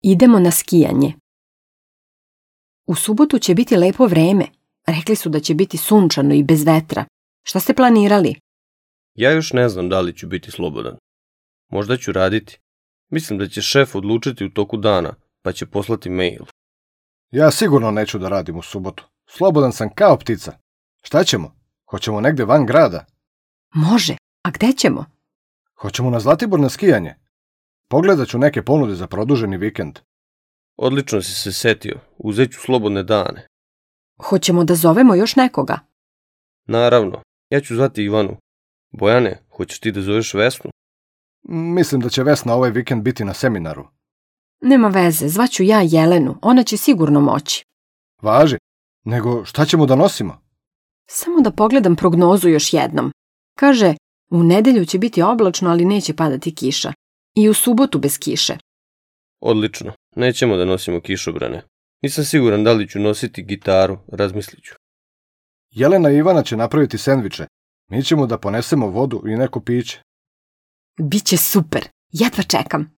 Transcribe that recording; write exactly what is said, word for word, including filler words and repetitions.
Idemo na skijanje. U subotu će biti lepo vreme. Rekli su da će biti sunčano i bez vetra. Šta ste planirali? Ja još ne znam da li ću biti slobodan. Možda ću raditi. Mislim da će šef odlučiti u toku dana, pa će poslati mail. Ja sigurno neću da radim u subotu. Slobodan sam kao ptica. Šta ćemo? Hoćemo negde van grada? Može. A gde ćemo? Hoćemo na Zlatibor na skijanje. Pogledat ću neke ponude za produženi vikend. Odlično si se setio. Uzet ću slobodne dane. Hoćemo da zovemo još nekoga? Naravno. Ja ću zvati Ivanu. Bojane, hoćeš ti da zoveš Vesnu? Mislim da će Vesna ovaj vikend biti na seminaru. Nema veze, zvaću ja Jelenu. Ona će sigurno moći. Važi. Nego šta ćemo da nosimo? Samo da pogledam prognozu još jednom. Kaže, u nedelju će biti oblačno, ali neće padati kiša. I u subotu bez kiše. Odlično. Nećemo da nosimo kišobrane. Nisam siguran da li ću nositi gitaru, razmislit ću. Jelena i Ivana će napraviti sendviče. Mi ćemo da ponesemo vodu i neko piće. Biće super. Jedva čekam.